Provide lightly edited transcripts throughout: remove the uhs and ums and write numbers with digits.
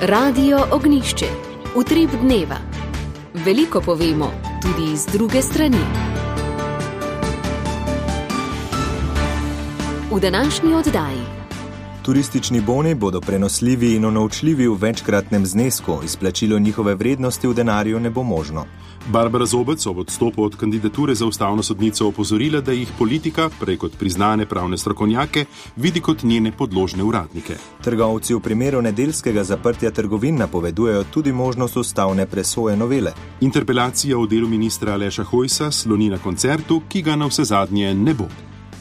Radio Ognjišče. Utrip dneva. Veliko povemo, tudi iz druge strani. V današnji oddaji. Turistični boni bodo prenosljivi in unovčljivi v večkratnem znesku, izplačilo njihove vrednosti v denarju ne bo možno. Barbara Zobec ob odstopu od kandidature za ustavno sodnico opozorila, da jih politika, prej kot priznane pravne strokovnjake, vidi kot njene podložne uradnike. Trgovci v primeru nedeljskega zaprtja trgovin napovedujejo tudi možnost ustavne presoje novele. Interpelacija v delu ministra Aleša Hojsa sloni na koncertu, ki ga navsezadnje ne bo.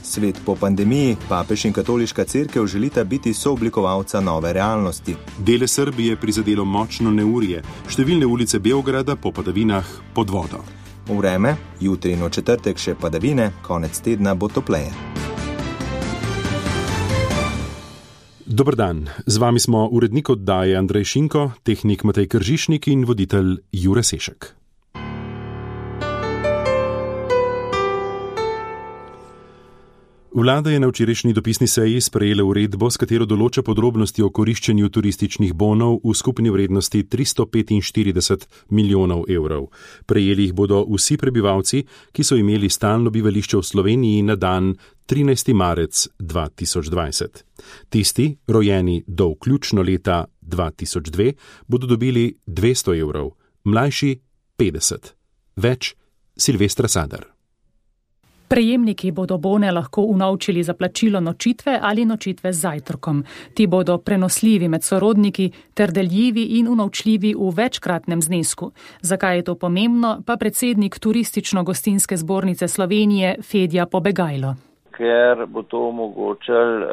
Svet po pandemiji, papež in katoliška cerkev želita biti sooblikovalca nove realnosti. Dele Srbije prizadelo močno neurje, številne ulice Beograda po padavinah pod vodo. Vreme, jutri in v četrtek še padavine, konec tedna bo topleje. Dober dan, z vami smo urednik oddaje Andrej Šinko, tehnik Matej Kržišnik in voditelj Jure Sešek. Vlada je na včerajšnji dopisni seji sprejela uredbo, s katero določa podrobnosti o koriščenju turističnih bonov v skupni vrednosti 345 milijonov evrov. Prejeli jih bodo vsi prebivalci, ki so imeli stalno bivališče v Sloveniji na dan 13. marec 2020. Tisti, rojeni do vključno leta 2002, bodo dobili 200 evrov, mlajši 50. Več Silvestra Sadar. Prejemniki bodo bone lahko unovčili za plačilo nočitve ali nočitve z zajtrkom. Ti bodo prenosljivi med sorodniki ter deljivi in unovčljivi v večkratnem znesku. Zakaj je to pomembno, pa predsednik Turistično-gostinske zbornice Slovenije Fedja Pobegajlo. Ker bo to omogočal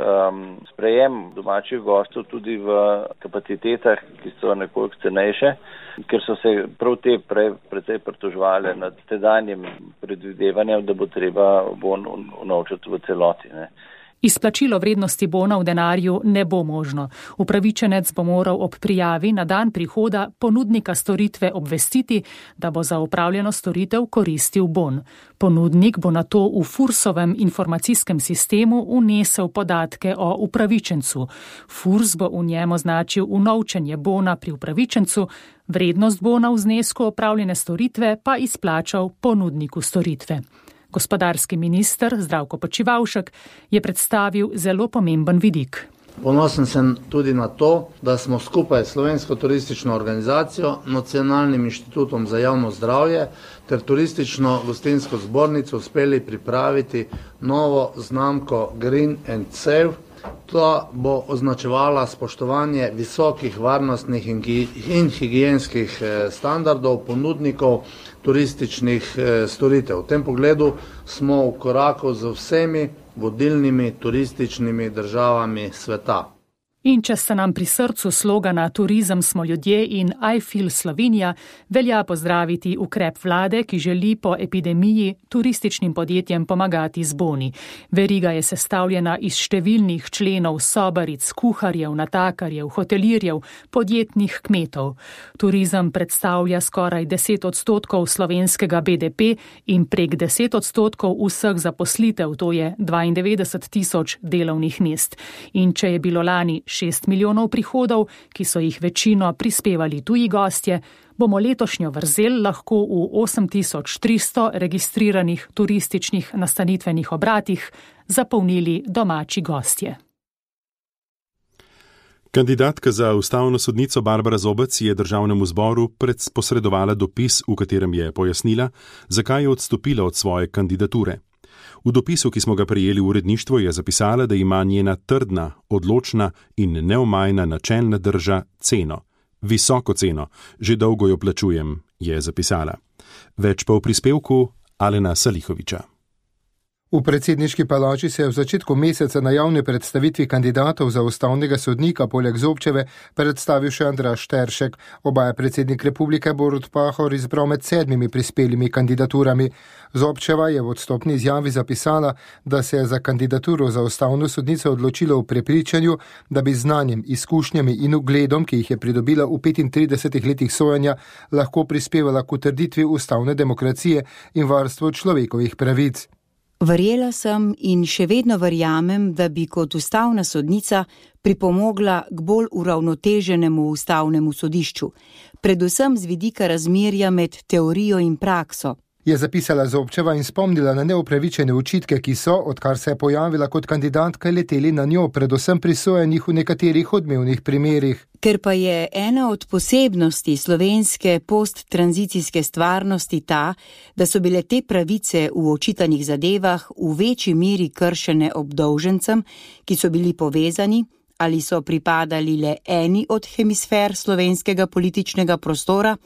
sprejem domačih gostov tudi v kapacitetah, ki so nekoliko cenejše, ker so se prav te precej pritoževali nad tedanjim predvidevanjem, da bo treba bon unovčiti v celoti. Izplačilo vrednosti bona v denarju ne bo možno. Upravičenec bo moral ob prijavi na dan prihoda ponudnika storitve obvestiti, da bo za opravljeno storitev koristil bon. Ponudnik bo nato v Fursovem informacijskem sistemu vnesel podatke o upravičencu. Furs bo v njem označil unovčenje bona pri upravičencu, vrednost bona v znesku opravljene storitve pa izplačal ponudniku storitve. Gospodarski minister Zdravko Počivalšek je predstavil zelo pomemben vidik. Ponosen sem tudi na to, da smo skupaj s Slovensko turistično organizacijo, Nacionalnim inštitutom za javno zdravje ter Turistično-gostinsko zbornico uspeli pripraviti novo znamko Green and Safe. To bo označevala spoštovanje visokih varnostnih in higienskih standardov ponudnikov turističnih storitev. V tem pogledu smo v koraku z vsemi vodilnimi turističnimi državami sveta. In če se nam pri srcu slogana Turizem smo ljudje in I feel Slovenija, velja pozdraviti ukrep vlade, ki želi po epidemiji turističnim podjetjem pomagati z boni. Veriga je sestavljena iz številnih členov sobaric, kuharjev, natakarjev, hotelirjev, podjetnih kmetov. Turizem predstavlja skoraj 10% slovenskega BDP in prek 10% vseh zaposlitev, to je 92 tisoč delovnih mest. In če je bilo lani 6 milijonov prihodov, ki so jih večino prispevali tuji gostje, bomo letošnjo vrzel lahko v 8300 registriranih turističnih nastanitvenih obratih zapolnili domači gostje. Kandidatka za ustavno sodnico Barbara Zobec je državnemu zboru posredovala dopis, v katerem je pojasnila, zakaj je odstopila od svoje kandidature. V dopisu, ki smo ga prejeli v uredništvu, je zapisala, da ima njena trdna, odločna in neomajna načelna drža ceno. Visoko ceno, že dolgo jo plačujem, je zapisala. Več pa v prispevku Alena Salihoviča. V predsedniški palači se je v začetku meseca na javni predstavitvi kandidatov za ustavnega sodnika poleg Zobčeve predstavil še Andraž Teršek. Oba je predsednik republike Borut Pahor izbral med 7 prispelimi kandidaturami. Zobčeva je v odstopni izjavi zapisala, da se je za kandidaturo za ustavno sodnico odločila v prepričanju, da bi znanjem, izkušnjami in ugledom, ki jih je pridobila v 35 letih sojenja, lahko prispevala k utrditvi ustavne demokracije in varstvu človekovih pravic. Verjela sem in še vedno verjamem, da bi kot ustavna sodnica pripomogla k bolj uravnoteženemu ustavnemu sodišču, predvsem z vidika razmerja med teorijo in prakso. Je zapisala Zobčeva in spomnila na neupravičene očitke, ki so, odkar se je pojavila kot kandidatka, leteli na njo, predvsem prisojenih v nekaterih odmevnih primerih. Ker pa je ena od posebnosti slovenske posttranzicijske stvarnosti ta, da so bile te pravice v očitanih zadevah v večji meri kršene obdolžencem, ki so bili povezani ali so pripadali le eni od hemisfer slovenskega političnega prostora,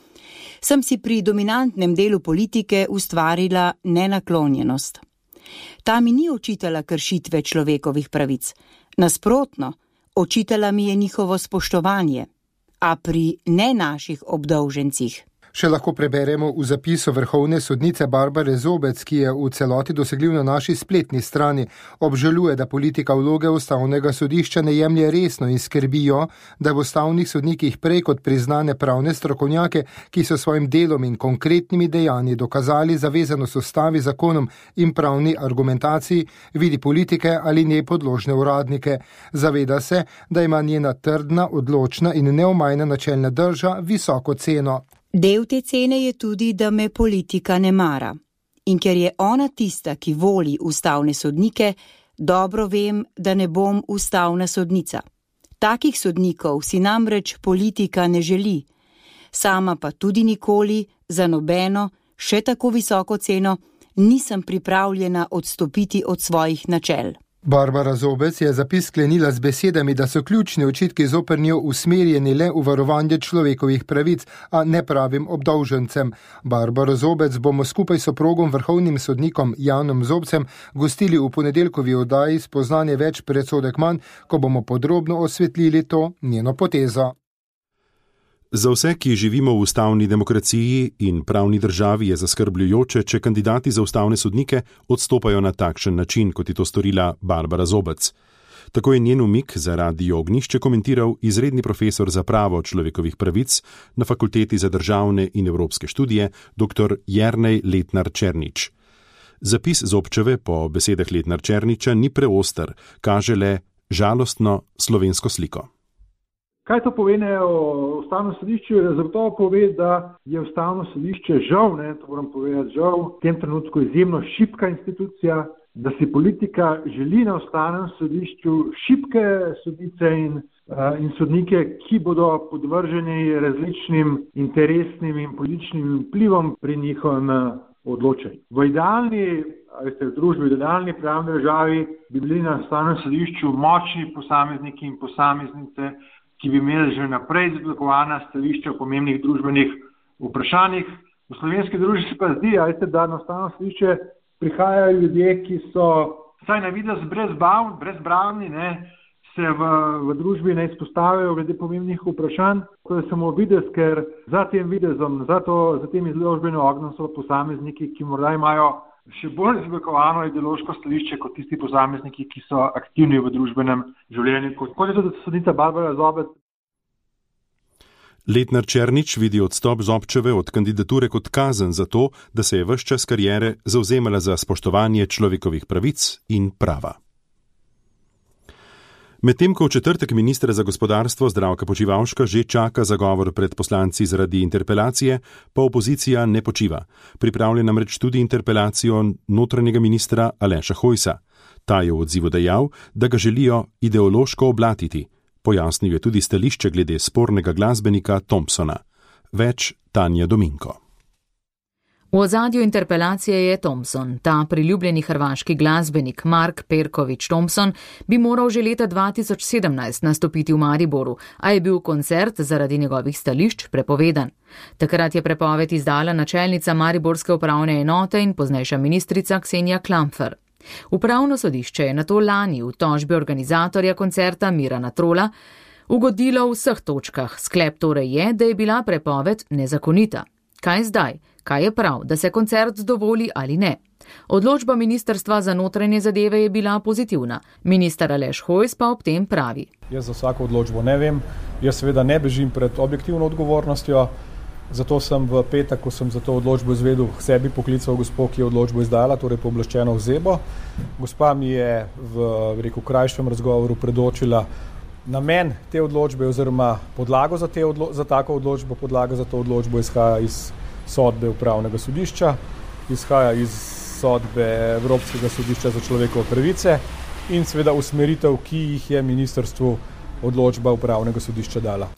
sem si pri dominantnem delu politike ustvarila nenaklonjenost. Ta mi ni očitala kršitve človekovih pravic. Nasprotno, očitala mi je njihovo spoštovanje, a pri ne naših obdolžencih. Še lahko preberemo v zapisu vrhovne sodnice Barbare Zobec, ki je v celoti dosegljiv na naši spletni strani. Obžaluje, da politika vloge ustavnega sodišča ne jemlje resno in skrbijo, da v ustavnih sodnikih prej kot priznane pravne strokovnjake, ki so svojim delom in konkretnimi dejanji dokazali zavezanost ustavi, zakonom in pravni argumentaciji, vidi politike ali njej podložne uradnike. Zaveda se, da ima njena trdna, odločna in neomajna načelna drža visoko ceno. Del te cene je tudi, da me politika ne mara. In ker je ona tista, ki voli ustavne sodnike, dobro vem, da ne bom ustavna sodnica. Takih sodnikov si namreč politika ne želi. Sama pa tudi nikoli za nobeno, še tako visoko ceno, nisem pripravljena odstopiti od svojih načel. Barbara Zobec je zapis sklenila z besedami, da so ključni očitki zoper njo usmerjeni le v varovanje človekovih pravic, a ne pravim obdolžencem. Barbaro Zobec bomo skupaj s soprogom vrhovnim sodnikom Janom Zobcem gostili v ponedeljkovi oddaji Spoznanje več, predsodek manj, ko bomo podrobno osvetlili to njeno potezo. Za vse, ki živimo v ustavni demokraciji in pravni državi, je zaskrbljujoče, če kandidati za ustavne sodnike odstopajo na takšen način, kot je to storila Barbara Zobec. Tako je njen umik za Radio Ognjišče komentiral izredni profesor za pravo človekovih pravic na Fakulteti za državne in evropske študije dr. Jernej Letnar Černič. Zapis Zobčeve po besedah Letnar Černiča ni preoster, kaže le žalostno slovensko sliko. Kaj to pove o ustavnem sodišču? Zagotovo pove, da je ustavno sodišče žal, to moram povedati, žal, v tem trenutku izjemno šibka institucija, da si politika želi na ustavnem sodišču šibke sodnice in sodnike, ki bodo podvrženi različnim interesnim in političnim vplivom pri njihovem odločanju. V idealni družbi, v idealni pravni državi bi bili na ustavnem sodišču močni posamezniki in posameznice, ki bi imeli že naprej izblikovana stališča o pomembnih družbenih vprašanjih. V slovenski družbi se pa zdi, da na ustavno sodišče prihajajo ljudje, ki so vsaj na videz brezbravni, se v družbi ne izpostavljajo glede pomembnih vprašanj. To je samo videz, ker za tem videzom, za tem izložbenim ognjem so posamezniki, ki morda imajo še bolj izblikovano ideološko stališče kot tisti posamezniki, ki so aktivni v družbenem življenju, kot je tudi sodnica Barbara Zobec. Letnar Černič vidi odstop Zobčeve od kandidature kot kazen za to, da se je ves čas kariere zavzemala za spoštovanje človekovih pravic in prava. Medtem ko v četrtek ministra za gospodarstvo Zdravka Počivalška že čaka zagovor pred poslanci zaradi interpelacije, pa opozicija ne počiva. Pripravlja namreč tudi interpelacijo notranjega ministra Aleša Hojsa. Ta je v odzivu dejal, da ga želijo ideološko oblatiti. Pojasnil je tudi stališče glede spornega glasbenika Thompsona. Več Tanja Dominko. V ozadju interpelacije je Thompson. Ta priljubljeni hrvaški glasbenik Mark Perković Thompson bi moral že leta 2017 nastopiti v Mariboru, a je bil koncert zaradi njegovih stališč prepovedan. Takrat je prepoved izdala načelnica Mariborske upravne enote in poznejša ministrica Ksenija Klampfer. Upravno sodišče je nato lani v tožbi organizatorja koncerta Mirana Trola ugodilo v vseh točkah. Sklep torej je, da je bila prepoved nezakonita. Kaj zdaj? Kaj je prav, da se koncert dovoli ali ne? Odločba Ministrstva za notranje zadeve je bila pozitivna. Minister Aleš Hojs pa ob tem pravi. Jaz za vsako odločbo ne vem. Jaz seveda ne bežim pred objektivno odgovornostjo. Zato sem v petek, ko sem za to odločbo izvedel, k sebi poklical gospo, ki je odločbo izdala, torej pooblaščeno osebo. Gospa mi je v krajšem razgovoru predočila namen te odločbe oziroma podlago za tako odločbo. Podlaga za to odločbo izhaja iz sodbe Upravnega sodišča, izhaja iz sodbe Evropskega sodišča za človekove pravice in seveda usmeritev, ki jih je ministrstvu odločba Upravnega sodišča dala.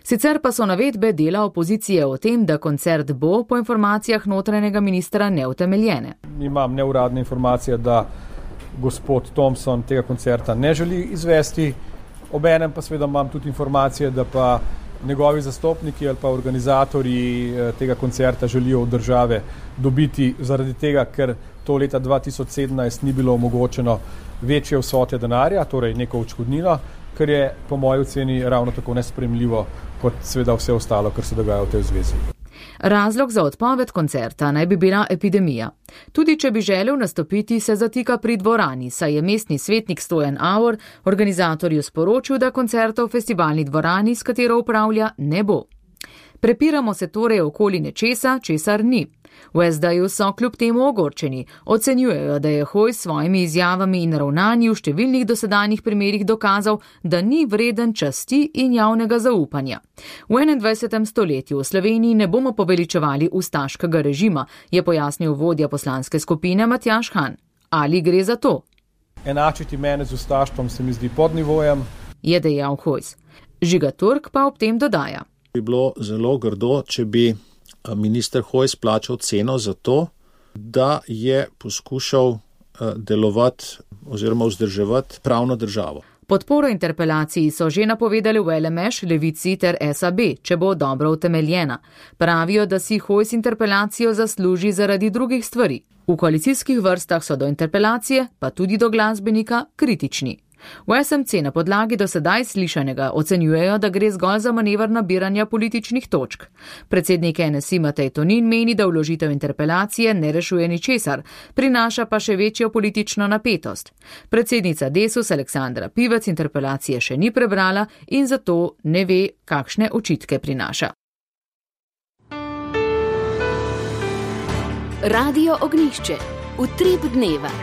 Sicer pa so navedbe dela opozicije o tem, da koncert bo po informacijah notranjega ministra neutemeljene. Imam neuradne informacije, da gospod Thompson tega koncerta ne želi izvesti, obenem pa seveda imam tudi informacije, da pa njegovi zastopniki ali pa organizatorji tega koncerta želijo od države dobiti zaradi tega, ker to leta 2017 ni bilo omogočeno večje vsote denarja, torej neko odškodnino, kar je po moji oceni ravno tako nesprejemljivo kot seveda vse ostalo, kar se dogaja v tej zvezi. Razlog za odpoved koncerta naj bi bila epidemija. Tudi če bi želel nastopiti, se zatika pri dvorani, saj je mestni svetnik Stojan Avor organizatorju sporočil, da koncerta v festivalni dvorani, s katero upravlja, ne bo. Prepiramo se torej okoli nečesa, česar ni. V SD-ju so kljub temu ogorčeni. Ocenjujejo, da je Hojs s svojimi izjavami in ravnanji v številnih dosedanjih primerih dokazal, da ni vreden časti in javnega zaupanja. V 21. stoletju v Sloveniji ne bomo poveličevali ustaškega režima, je pojasnil vodja poslanske skupine Matjaž Han. Ali gre za to? Enačiti mene z ustaštvom se mi zdi pod nivojem, je dejal Hojs. Žiga Turk pa ob tem dodaja. Bi bilo zelo grdo, če bi minister Hojs plačal ceno za to, da je poskušal delovati oziroma vzdrževati pravno državo. Podporo interpelaciji so že napovedali v LMŠ, Levici ter SAB, če bo dobro utemeljena. Pravijo, da si Hojs interpelacijo zasluži zaradi drugih stvari. V koalicijskih vrstah so do interpelacije, pa tudi do glasbenika, kritični. V SMC na podlagi do sedaj slišanega ocenjujejo, da gre zgolj za manever nabiranja političnih točk. Predsednik NSI Matej Tonin meni, da vložitev interpelacije ne rešuje ničesar, prinaša pa še večjo politično napetost. Predsednica Desus Aleksandra Pivec interpelacije še ni prebrala in zato ne ve, kakšne očitke prinaša. Radio Ognjišče. Utrip dneva.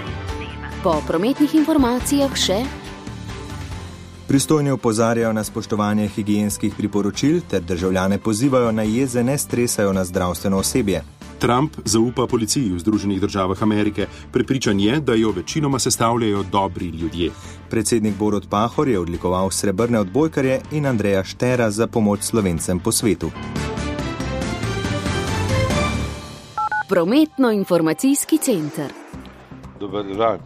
Po prometnih informacijah še. Pristojni opozarjajo na spoštovanje higienskih priporočil ter državljane pozivajo, naj jeze ne stresajo na zdravstveno osebje. Trump zaupa policiji v Združenih državah Amerike. Prepričan je, da jo večinoma sestavljajo dobri ljudje. Predsednik Borut Pahor je odlikoval srebrne odbojkarje in Andreja Štera za pomoč Slovencem po svetu. Prometno-informacijski center. Dober dan.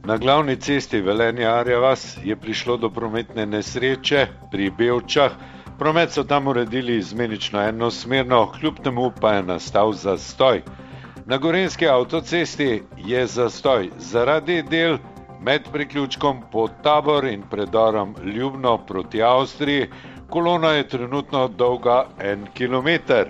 Na glavni cesti Velenje-Arja vas je prišlo do prometne nesreče pri Bevčah. Promet so tam uredili izmenično enosmerno, kljub temu pa je nastal zastoj. Na Gorenjski avtocesti je zastoj zaradi del med priključkom Podtabor in predorom Ljubno proti Avstriji. Kolona je trenutno dolga 1 kilometer.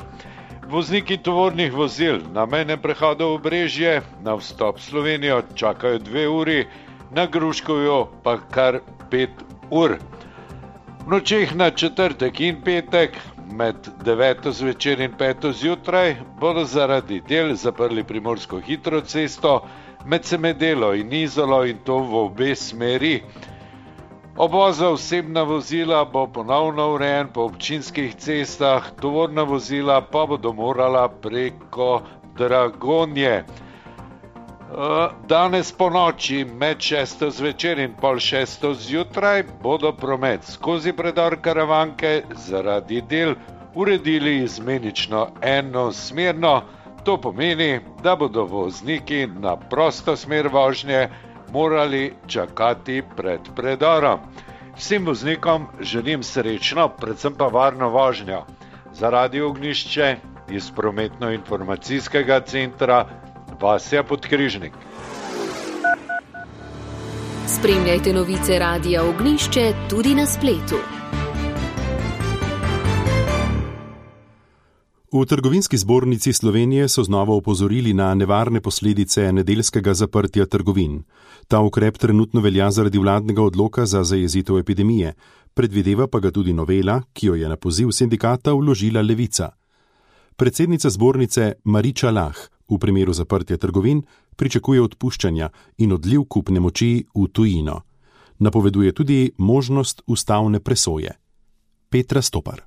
Vozniki tovornih vozil na mejnem prehodu Obrežje na vstop v Slovenijo čakajo 2 uri, na Gruškovju pa kar 5 ur. V nočeh na četrtek in petek med 9. zvečer in 5. zjutraj bodo zaradi del zaprli Primorsko hitro cesto med Semedelo in Izolo in to v obe smeri. Obvoz za osebna vozila bo ponovno urejen po občinskih cestah, tovorna vozila pa bodo morala preko Dragonje. Danes po noči med 6. zvečer in pol 6. zjutraj bodo promet skozi predor Karavanke zaradi del uredili izmenično enosmerno. To pomeni, da bodo vozniki na prosto smer vožnje morali čakati pred predorom. Vsem voznikom želim srečno, predvsem pa varno vožnjo. Za Radio Ognjišče iz prometno-informacijskega centra Vasja Podkrižnik. Spremljajte novice Radia Ognjišče tudi na spletu. V Trgovinski zbornici Slovenije so znova opozorili na nevarne posledice nedeljskega zaprtja trgovin. Ta ukrep trenutno velja zaradi vladnega odloka za zajezitev epidemije. Predvideva pa ga tudi novela, ki jo je na poziv sindikata vložila Levica. Predsednica zbornice Mariča Lah v primeru zaprtja trgovin pričakuje odpuščanja in odliv kupne moči v tujino. Napoveduje tudi možnost ustavne presoje. Petra Stopar.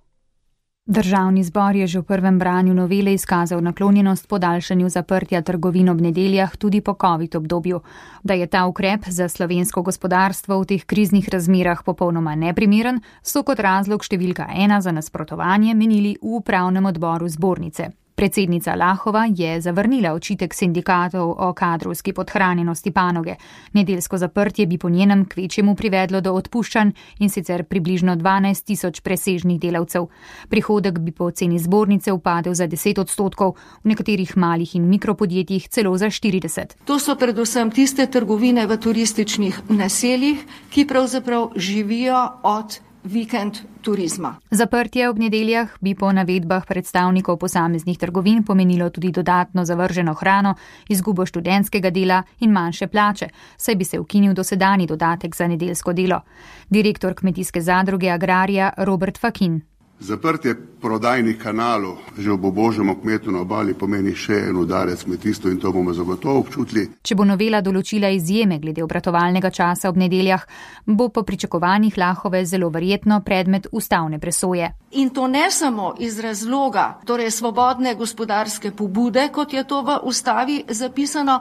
Državni zbor je že v prvem branju novele izkazal naklonjenost podaljšanju zaprtja trgovin ob nedeljah tudi po COVID obdobju. Da je ta ukrep za slovensko gospodarstvo v teh kriznih razmerah popolnoma neprimeren, so kot razlog številka 1 za nasprotovanje menili v upravnem odboru zbornice. Predsednica Lahova je zavrnila očitek sindikatov o kadrovski podhranjenosti panoge. Nedeljsko zaprtje bi po njenem kvečjemu privedlo do odpuščanj in sicer približno 12.000 presežnih delavcev. Prihodek bi po oceni zbornice upadel za 10%, v nekaterih malih in mikropodjetjih celo za 40%. To so predvsem tiste trgovine v turističnih naseljih, ki pravzaprav živijo od vikend turizma. Zaprtje ob nedeljah bi po navedbah predstavnikov posameznih trgovin pomenilo tudi dodatno zavrženo hrano, izgubo študentskega dela in manjše plače, saj bi se ukinil dosedanji dodatek za nedeljsko delo. Direktor kmetijske zadruge Agrarija Robert Fakin. Zaprtje prodajnih kanalov že ob obožjem kmetu na obali pomeni še en udarec kmetijstvu in to bomo zagotovo občutili. Če bo novela določila izjeme glede obratovalnega časa ob nedeljah, bo po pričakovanjih Lahove zelo verjetno predmet ustavne presoje. In to ne samo iz razloga, torej svobodne gospodarske pobude, kot je to v ustavi zapisano,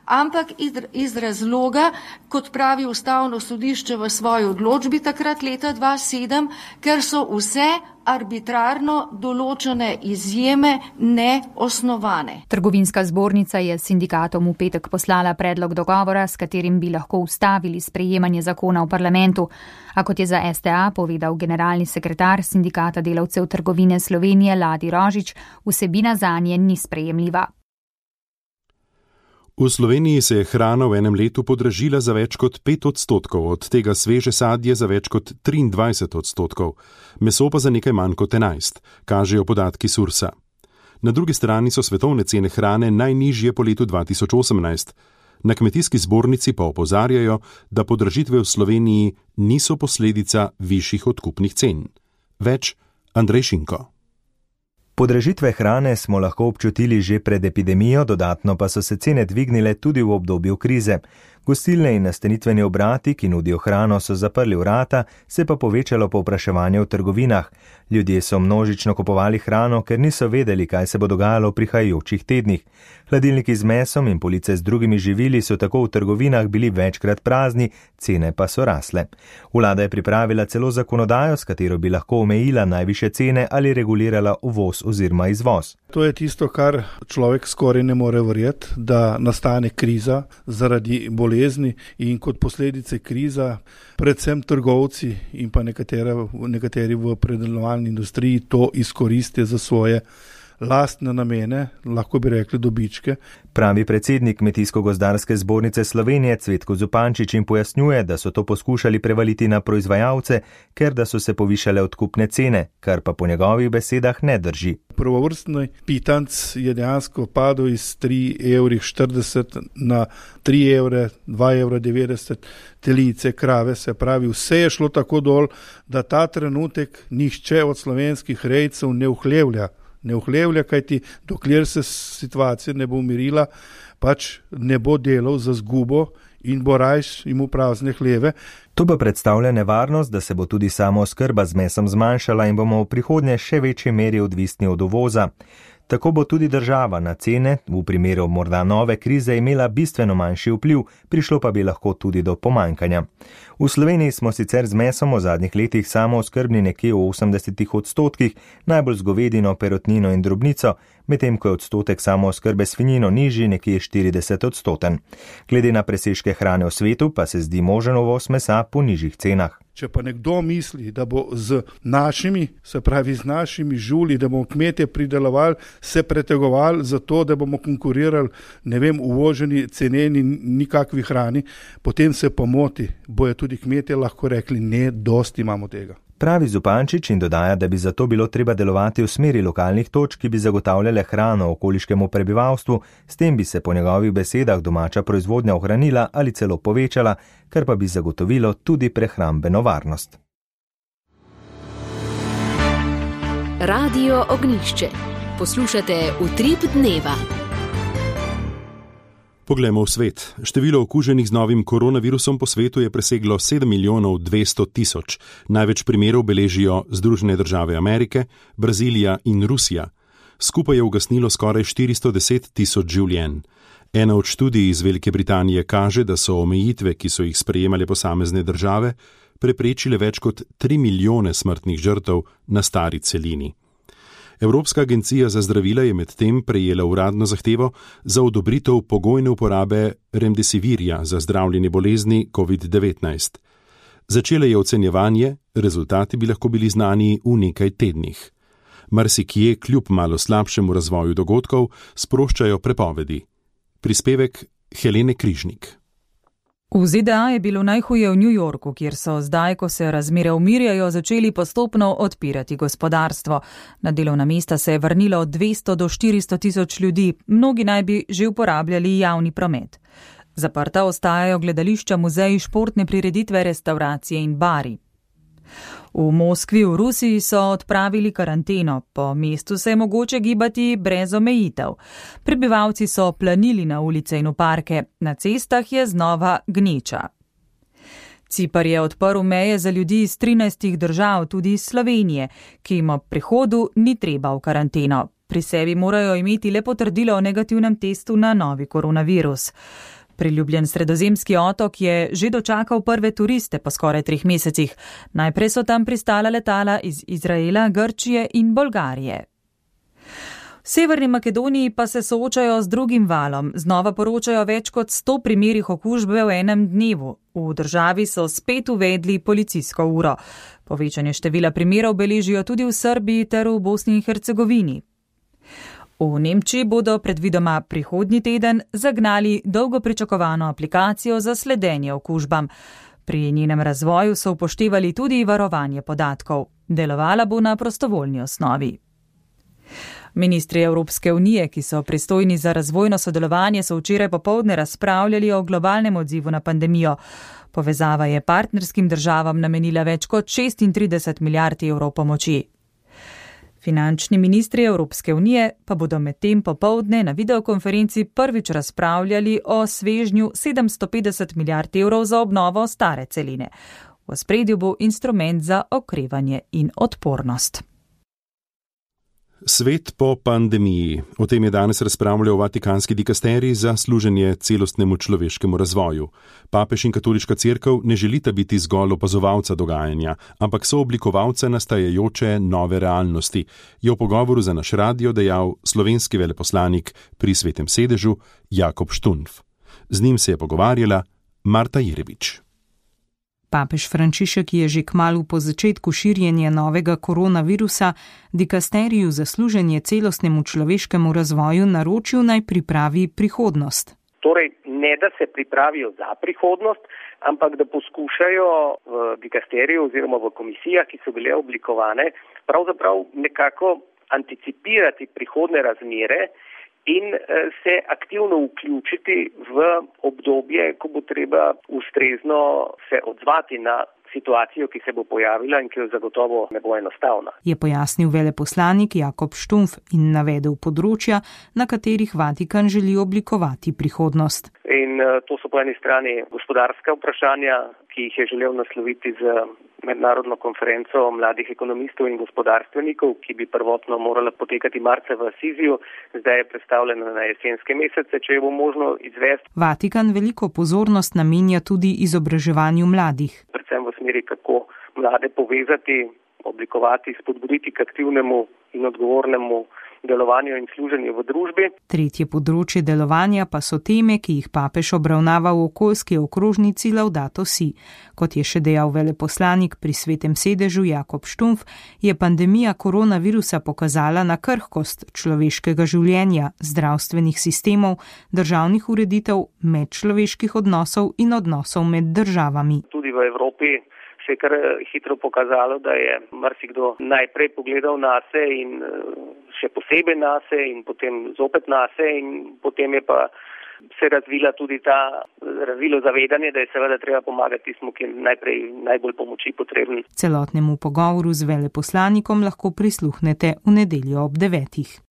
ampak iz razloga, kot pravi Ustavno sodišče v svoji odločbi takrat leta 2007, ker so vse arbitrarno določene izjeme neosnovane. Trgovinska zbornica je sindikatom v petek poslala predlog dogovora, s katerim bi lahko ustavili sprejemanje zakona v parlamentu. A kot je za STA povedal generalni sekretar Sindikata delavcev trgovine Slovenije Ladi Rožič, vsebina zanje ni sprejemljiva. V Sloveniji se je hrana v enem letu podražila za več kot 5%, od tega sveže sadje za več kot 23%, meso pa za nekaj manj kot 11%, kažejo podatki Sursa. Na drugi strani so svetovne cene hrane najnižje po letu 2018. Na kmetijski zbornici pa opozarjajo, da podražitve v Sloveniji niso posledica višjih odkupnih cen. Več Andrej Šinko. Podražitve hrane smo lahko občutili že pred epidemijo, dodatno pa so se cene dvignile tudi v obdobju krize. Gostilne in nastanitveni obrati, ki nudijo hrano, so zaprli vrata, se pa povečalo povpraševanje v trgovinah. Ljudje so množično kupovali hrano, ker niso vedeli, kaj se bo dogajalo v prihajajočih tednih. Hladilniki z mesom in police z drugimi živili so tako v trgovinah bili večkrat prazni, cene pa so rasle. Vlada je pripravila celo zakonodajo, s katero bi lahko omejila najvišje cene ali regulirala uvoz oziroma izvoz. To je tisto, kar človek skoraj ne more verjeti, da nastane kriza zaradi bolezni in kot posledice kriza, predvsem trgovci in pa nekateri v predelovalni industriji to izkoristijo za svoje lastne namene, lahko bi rekli dobičke. Pravi predsednik Kmetijsko-gozdarske zbornice Slovenije Cvetko Zupančič in pojasnjuje, da so to poskušali prevaliti na proizvajalce, ker da so se povišale odkupne cene, kar pa po njegovih besedah ne drži. Prvovrstni pitanc je dejansko padel iz 3,40 € na 3 €, 2,90 €, telice, krave, se pravi, vse je šlo tako dol, da ta trenutek nihče od slovenskih rejcev ne uhlevlja, kajti dokler se situacija ne bo umirila, pač ne bo delal za zgubo in bo rajš imel prazne hleve. To pa predstavlja nevarnost, da se bo tudi samooskrba z mesom zmanjšala in bomo v prihodnje še večji meri odvisni od uvoza. Tako bo tudi država na cene, v primeru morda nove krize, imela bistveno manjši vpliv, prišlo pa bi lahko tudi do pomanjkanja. V Sloveniji smo sicer z mesom v zadnjih letih samooskrbni nekje v 80%, najbolj z govedino, perutnino in drobnico, medtem ko je odstotek samooskrbe s svinjino nižji nekje 40%. Glede na presežke hrane v svetu pa se zdi možen uvoz mesa po nižjih cenah. Če pa nekdo misli, da bo z našimi žuli, da bomo kmetje pridelovali, se pretegovali za to, da bomo konkurirali, uvoženi, ceneni, nikakvi hrani, potem se pa moti, bojo tudi kmetje lahko rekli, ne, dosti imamo tega. Pravi Zupančič in dodaja, da bi zato bilo treba delovati v smeri lokalnih točk, ki bi zagotavljale hrano okoliškemu prebivalstvu, s tem bi se po njegovih besedah domača proizvodnja ohranila ali celo povečala, kar pa bi zagotovilo tudi prehrambeno varnost. Radio Ognjišče. Poslušate Utrip dneva. Poglejmo v svet. Število okuženih z novim koronavirusom po svetu je preseglo 7 milijonov 200 tisoč. Največ primerov beležijo Združene države Amerike, Brazilija in Rusija. Skupaj je ugasnilo skoraj 410 tisoč življenj. Ena od študij iz Velike Britanije kaže, da so omejitve, ki so jih sprejemale posamezne države, preprečile več kot 3 milijone smrtnih žrtev na stari celini. Evropska agencija za zdravila je medtem prejela uradno zahtevo za odobritev pogojne uporabe remdesivirja za zdravljenje bolezni COVID-19. Začela je ocenjevanje, rezultati bi lahko bili znani v nekaj tednih. Marsikje, kljub malo slabšemu razvoju dogodkov, sproščajo prepovedi. Prispevek Helene Križnik. V ZDA je bilo najhuje v New Yorku, kjer so zdaj, ko se razmere umirjajo, začeli postopno odpirati gospodarstvo. Na delovna mesta se je vrnilo od 200 do 400 tisoč ljudi, mnogi naj bi že uporabljali javni promet. Zaprta ostajajo gledališča, muzeji, športne prireditve, restauracije in bari. V Moskvi v Rusiji so odpravili karanteno, po mestu se je mogoče gibati brez omejitev. Prebivalci so planili na ulice in v parke, na cestah je znova gneča. Cipar je odprl meje za ljudi iz 13 držav, tudi iz Slovenije, ki jim ob prihodu ni treba v karanteno. Pri sebi morajo imeti le potrdilo o negativnem testu na novi koronavirus. Priljubljen sredozemski otok je že dočakal prve turiste po skoraj 3 mesecih. Najprej so tam pristala letala iz Izraela, Grčije in Bolgarije. V Severni Makedoniji pa se soočajo z drugim valom. Znova poročajo več kot 100 primerih okužbe v enem dnevu. V državi so spet uvedli policijsko uro. Povečanje števila primerov beležijo tudi v Srbiji ter v Bosni in Hercegovini. V Nemčiji bodo predvidoma prihodnji teden zagnali dolgo pričakovano aplikacijo za sledenje okužbam. Pri njenem razvoju so upoštevali tudi varovanje podatkov. Delovala bo na prostovoljni osnovi. Ministri Evropske unije, ki so pristojni za razvojno sodelovanje, so včeraj popoldne razpravljali o globalnem odzivu na pandemijo. Povezava je partnerskim državam namenila več kot 36 milijard evrov pomoči. Finančni ministri Evropske unije pa bodo medtem popoldne na videokonferenci prvič razpravljali o svežnju 750 milijard evrov za obnovo stare celine. V ospredju bo instrument za okrevanje in odpornost. Svet po pandemiji. O tem je danes razpravljal Vatikanski dikasterij za služenje celostnemu človeškemu razvoju. Papež in katoliška cerkev ne želita biti zgolj opazovalca dogajanja, ampak sooblikovalca nastajajoče nove realnosti, je v pogovoru za naš radio dejal slovenski veleposlanik pri Svetem sedežu Jakob Štunf. Z njim se je pogovarjala Marta Jerebič. Papež Frančišek je že kmalu po začetku širjenja novega koronavirusa dikasteriju za služenje celostnemu človeškemu razvoju naročil naj pripravi prihodnost. Torej, ne da se pripravijo za prihodnost, ampak da poskušajo v dikasteriju oziroma v komisijah, ki so bile oblikovane, pravzaprav nekako anticipirati prihodne razmere in se aktivno vključiti v obdobje, ko bo treba ustrezno se odzvati na situacijo, ki se bo pojavila in ki jo zagotovo ne bo enostavna. Je pojasnil veleposlanik Jakob Štunf in navedel področja, na katerih Vatikan želi oblikovati prihodnost. In to so po eni strani gospodarska vprašanja, ki jih je želel nasloviti z mednarodno konferenco mladih ekonomistov in gospodarstvenikov, ki bi prvotno morala potekati marca v Asiziju, zdaj je predstavljena na jesenske mesece, če je bo možno izvesti. Vatikan veliko pozornost namenja tudi izobraževanju mladih. Predvsem v smeri, kako mlade povezati, oblikovati, spodbuditi k aktivnemu in odgovornemu delovanju in služenju v družbi. Tretje področje delovanja pa so teme, ki jih papež obravnava v okoljski okrožnici Laudato Si. Kot je še dejal veleposlanik pri Svetem sedežu Jakob Štunf, je pandemija koronavirusa pokazala na krhkost človeškega življenja, zdravstvenih sistemov, državnih ureditev, medčloveških odnosov in odnosov med državami. Tudi v Evropi se je kar hitro pokazalo, da je marsikdo najprej pogledal nase in še posebej nase in potem zopet nase in potem je pa se razvilo zavedanje, da je seveda treba pomagati tismu, ki je najbolj pomoči potreben. Celotnemu pogovoru z veleposlanikom lahko prisluhnete v nedeljo ob 9.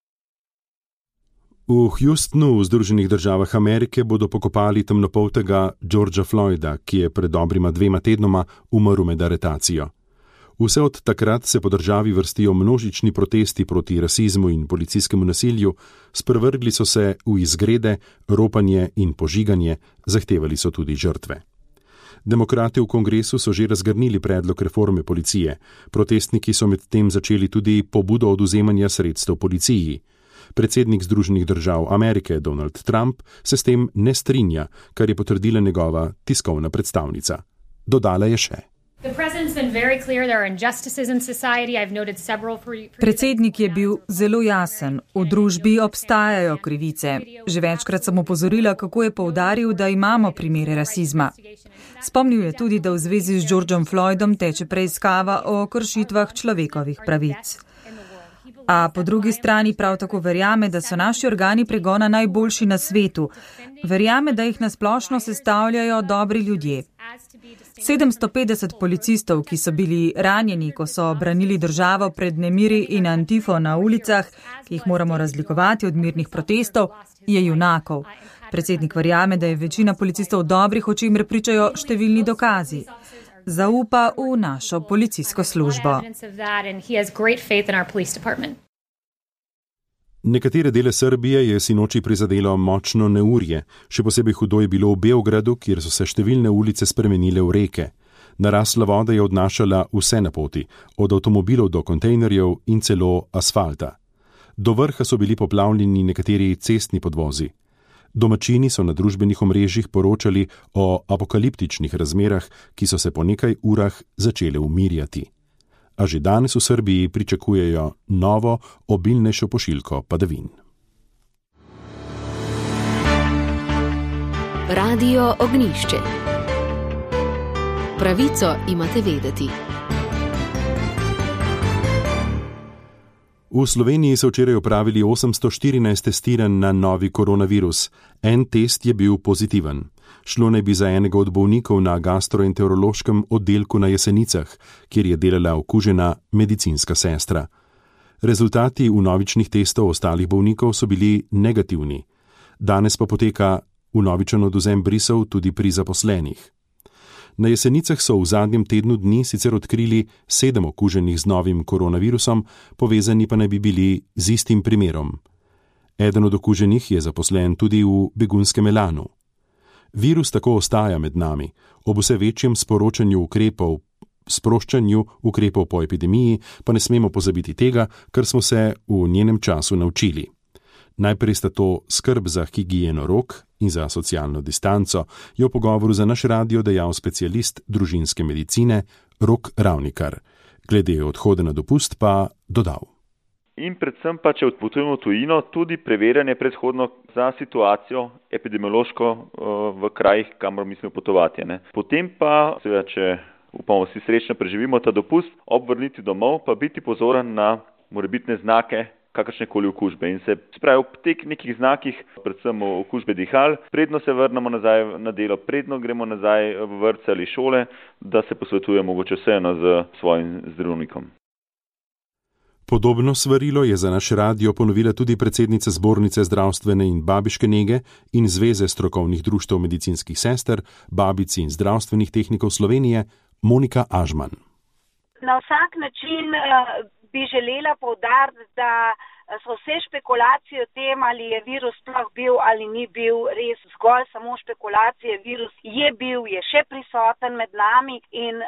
V Houstonu v Združenih državah Amerike bodo pokopali temnopoltega Georgea Floyda, ki je pred dobrima 2 tednoma umrl med aretacijo. Vse od takrat se po državi vrstijo množični protesti proti rasizmu in policijskemu nasilju, sprevrgli so se v izgrede, ropanje in požiganje, zahtevali so tudi žrtve. Demokrati v kongresu so že razgrnili predlog reforme policije, protestniki so medtem začeli tudi pobudo odvzemanja sredstev policiji. Predsednik Združenih držav Amerike Donald Trump se s tem ne strinja, kar je potrdila njegova tiskovna predstavnica. Dodala je še. Predsednik je bil zelo jasen. V družbi obstajajo krivice. Že večkrat sem opozorila, kako je poudaril, da imamo primere rasizma. Spomnil je tudi, da v zvezi z Georgeom Floydom teče preiskava o kršitvah človekovih pravic. A po drugi strani prav tako verjame, da so naši organi pregona najboljši na svetu. Verjame, da jih nasplošno sestavljajo dobri ljudje. 750 policistov, ki so bili ranjeni, ko so branili državo pred nemiri in Antifo na ulicah, ki jih moramo razlikovati od mirnih protestov, je junakov. Predsednik verjame, da je večina policistov dobrih, o čemer pričajo številni dokazi. Zaupa v našo policijsko službo. Nekatere dele Srbije je sinoči prizadelo močno neurje, še posebej hudo je bilo v Beogradu, kjer so se številne ulice spremenile v reke. Narasla voda je odnašala vse na poti, od avtomobilov do kontejnerjev in celo asfalta. Do vrha so bili poplavljeni nekateri cestni podvozi. Domačini so na družbenih omrežjih poročali o apokaliptičnih razmerah, ki so se po nekaj urah začele umirjati. A že danes v Srbiji pričakujejo novo, obilnejšo pošiljko padavin. Radio Ognjišče. Pravico imate vedeti. V Sloveniji so včeraj opravili 814 testiranj na novi koronavirus. En test je bil pozitiven. Šlo naj bi za enega od bolnikov na gastroenterološkem oddelku na Jesenicah, kjer je delala okužena medicinska sestra. Rezultati vnovičnih testov ostalih bolnikov so bili negativni. Danes pa poteka vnovičen odvzem brisov tudi pri zaposlenih. Na Jesenicah so v zadnjem tednu dni sicer odkrili 7 okuženih z novim koronavirusom, povezani pa naj bi bili z istim primerom. Eden od okuženih je zaposlen tudi v begunskem Elanu. Virus tako ostaja med nami, ob vse večjem sproščanju ukrepov po epidemiji, pa ne smemo pozabiti tega, kar smo se v njenem času naučili. Najprej sta to skrb za higieno rok in za socialno distanco, je v pogovoru za naš radio dejal specialist družinske medicine Rok Ravnikar. Glede odhoda na dopust pa dodal. In predvsem pa, če odpotujemo v tujino, tudi preverjanje predhodno za situacijo epidemiološko v krajih, kamor mislimo potovati. Potem pa, seveda, če upamo vsi srečno preživimo ta dopust, ob vrnitvi domov pa biti pozoren na morebitne znake kakršnekoli okužbe. In se spravi ob teh nekih znakih, predvsem okužbe dihal, predno se vrnemo nazaj na delo, predno gremo nazaj v vrtce ali šole, da se posvetujemo mogoče vseeno z svojim zdravnikom. Podobno svarilo je za naš radio ponovila tudi predsednica Zbornice zdravstvene in babiške nege in Zveze strokovnih društev medicinskih sester, babic in zdravstvenih tehnikov Slovenije, Monika Ažman. Na vsak način bi želela poudariti, da so vse špekulacije o tem, ali je virus sploh bil ali ni bil, res zgolj samo špekulacije. Virus je bil, je še prisoten med nami in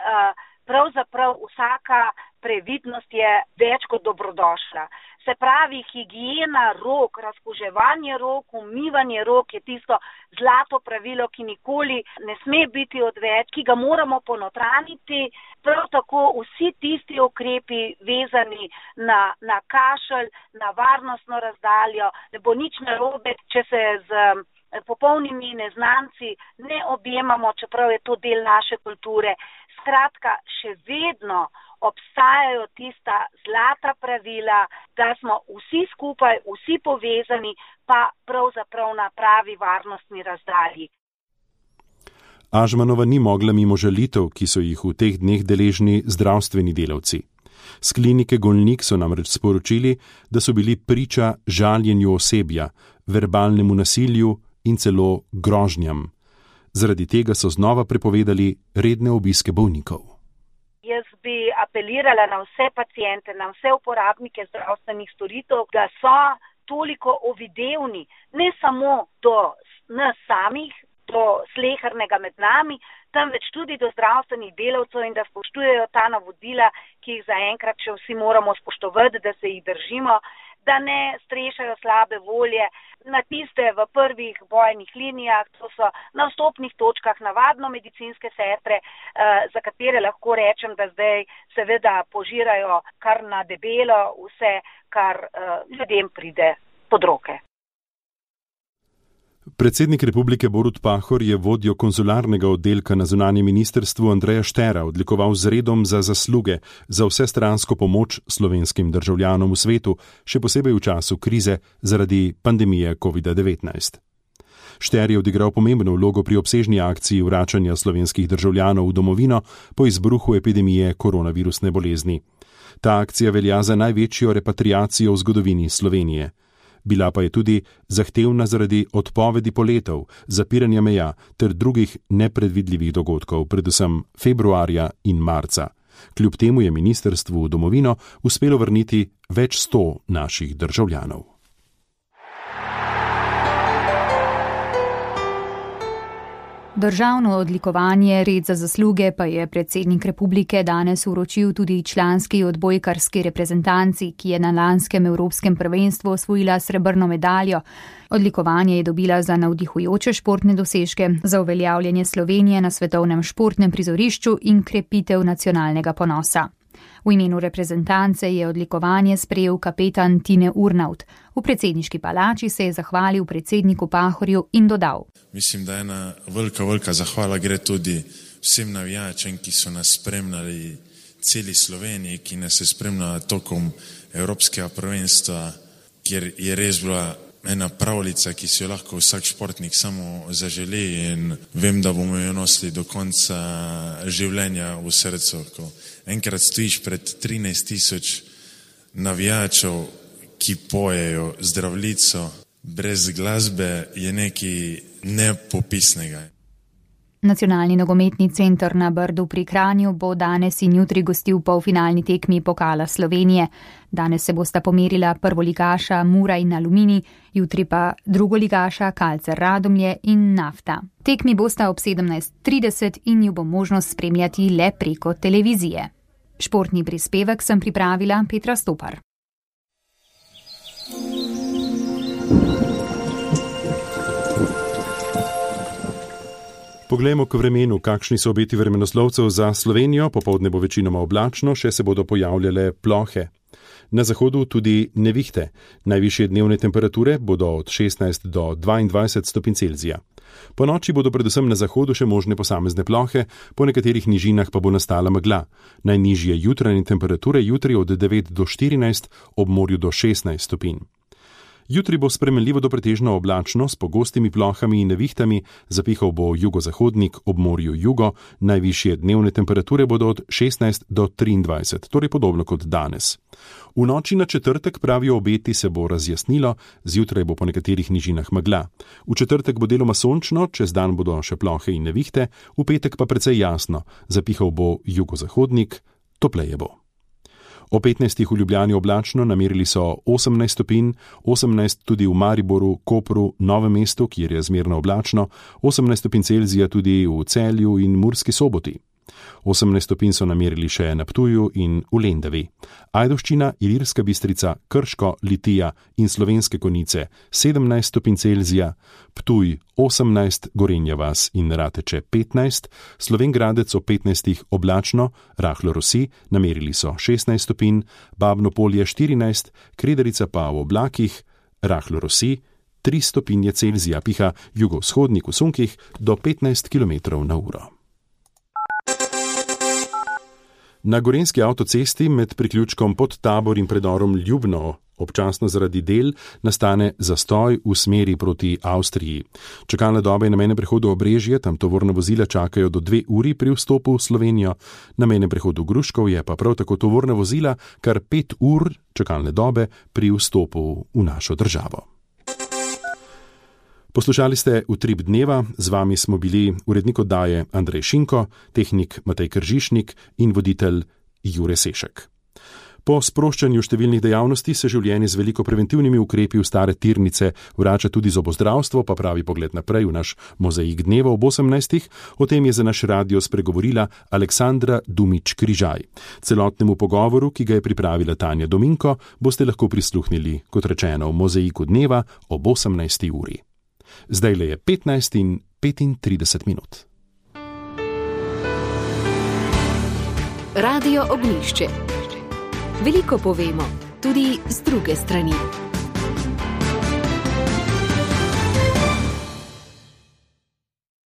pravzaprav vsaka previdnost je več kot dobrodošla. Se pravi, higiena rok, razkuževanje rok, umivanje rok je tisto zlato pravilo, ki nikoli ne sme biti odveč, ki ga moramo ponotraniti. Prav tako vsi tisti ukrepi vezani na kašelj, na varnostno razdaljo, ne bo nič narobe, če se z popolnimi neznanci ne objemamo, čeprav je to del naše kulture. Skratka, še vedno obstajajo tista zlata pravila, da smo vsi skupaj, vsi povezani, pa pravzaprav na pravi varnostni razdalji. Ažmanova ni mogla mimo žalitev, ki so jih v teh dneh deležni zdravstveni delavci. S klinike Golnik so namreč sporočili, da so bili priča žaljenju osebja, verbalnemu nasilju in celo grožnjam. Zaradi tega so znova prepovedali redne obiske bolnikov. Jaz bi apelirala na vse paciente, na vse uporabnike zdravstvenih storitev, da so toliko ovidevni, ne samo do nas samih, do slehernega med nami, temveč tudi do zdravstvenih delavcev in da spoštujejo ta navodila, ki jih zaenkrat še vsi moramo spoštovati, da se jih držimo, da ne strešajo slabe volje na tiste v prvih bojnih linijah, to so na vstopnih točkah navadno medicinske sestre, za katere lahko rečem, da zdaj seveda požirajo kar na debelo vse, kar ljudem pride pod roke. Predsednik republike Borut Pahor je vodjo konzularnega oddelka na zunanjem ministrstvu Andreja Štera odlikoval z redom za zasluge za vsestransko pomoč slovenskim državljanom v svetu, še posebej v času krize zaradi pandemije COVID-19. Šter je odigral pomembno vlogo pri obsežni akciji vračanja slovenskih državljanov v domovino po izbruhu epidemije koronavirusne bolezni. Ta akcija velja za največjo repatriacijo v zgodovini Slovenije. Bila pa je tudi zahtevna zaradi odpovedi poletov, zapiranja meja ter drugih nepredvidljivih dogodkov, predvsem februarja in marca. Kljub temu je ministrstvu v domovino uspelo vrniti več 100 naših državljanov. Državno odlikovanje Red za zasluge pa je predsednik republike danes vročil tudi članski odbojkarski reprezentanci, ki je na lanskem evropskem prvenstvu osvojila srebrno medaljo. Odlikovanje je dobila za navdihujoče športne dosežke, za uveljavljanje Slovenije na svetovnem športnem prizorišču in krepitev nacionalnega ponosa. V imenu reprezentance je odlikovanje sprejel kapetan Tine Urnaut. V predsedniški palači se je zahvalil predsedniku Pahorju in dodal: Mislim, da ena velika zahvala gre tudi vsem navijačem, ki so nas spremljali celi Sloveniji, ki nas je spremljala tokom evropskega prvenstva, kjer je res bila ena pravljica, ki si jo lahko vsak športnik samo zaželi, in vem, da bomo jo nosili do konca življenja v srcu. Ko enkrat stojiš pred 13.000 navijačev, ki pojejo Zdravljico, brez glasbe je nekaj nepopisnega. Nacionalni nogometni center na Brdu pri Kranju bo danes in jutri gostil polfinalni tekmi Pokala Slovenije. Danes se bosta pomerila prvoligaša Mura in Aluminij, jutri pa drugoligaša Kalcer Radomlje in Nafta. Tekmi bosta ob 17.30 in ju bo možnost spremljati le preko televizije. Športni prispevek sem pripravila Petra Stopar. Poglejmo k vremenu, kakšni so obeti vremenoslovcev za Slovenijo. Popoldne bo večinoma oblačno, še se bodo pojavljale plohe. Na zahodu tudi nevihte. Najvišje dnevne temperature bodo od 16 do 22 stopinj Celzija. Po noči bodo predvsem na zahodu še možne posamezne plohe, po nekaterih nižinah pa bo nastala megla. Najnižje jutranje temperature jutri od 9 do 14, ob morju do 16 stopinj. Jutri bo spremenljivo do pretežno oblačno s pogostimi plohami in nevihtami, zapihal bo jugozahodnik, ob morju jugo, najvišje dnevne temperature bodo od 16 do 23, torej podobno kot danes. V noči na četrtek, pravijo obeti, se bo razjasnilo, zjutraj bo po nekaterih nižinah megla. V četrtek bo deloma sončno, čez dan bodo še plohe in nevihte, v petek pa precej jasno, zapihal bo jugozahodnik, topleje bo. O 15 v Ljubljani oblačno, namerili so 18 stopinj, 18 tudi v Mariboru, Kopru, Novem mestu, kjer je zmerno oblačno, 18 stopinj Celzija tudi v Celju in Murski Soboti. 18 stopinj so namerili še na Ptuju in v Lendavi. Ajdovščina, Ilirska Bistrica, Krško, Litija in Slovenske Konjice 17 stopinj Celzija, Ptuj 18, Gorenja vas in Rateče 15, Slovenj Gradec o 15 oblačno, rahlo rosi, namerili so 16 stopinj, Babno Polje 14, Kredarica pa v oblakih, rahlo rosi, 3 stopinje Celzija, piha jugovzhodnik v sunkih do 15 km/h. Na gorenjski avtocesti med priključkom Pod Tabor in predorom Ljubno občasno zaradi del nastane zastoj v smeri proti Avstriji. Čakalna doba je na mejnem prehodu Obrežje, tam tovorna vozila čakajo do 2 uri pri vstopu v Slovenijo, na mejnem prehodu Gruškov je pa prav tako tovorna vozila kar 5 ur čakalne dobe pri vstopu v našo državo. Poslušali ste Utrip dneva, z vami smo bili urednik oddaje Andrej Šinko, tehnik Matej Kržišnik in voditelj Jure Sešek. Po sproščanju številnih dejavnosti se življenje z veliko preventivnimi ukrepi v stare tirnice vrača tudi zobozdravstvo, pa pravi pogled naprej v naš mozaik dneva ob 18. O tem je za naš radio spregovorila Aleksandra Dumič-Križaj. Celotnemu pogovoru, ki ga je pripravila Tanja Dominko, boste lahko prisluhnili, kot rečeno, v mozaiku dneva ob 18. uri. Zdajle je 15 in 35 minut. Radio Ognjišče. Veliko povemo, tudi z druge strani.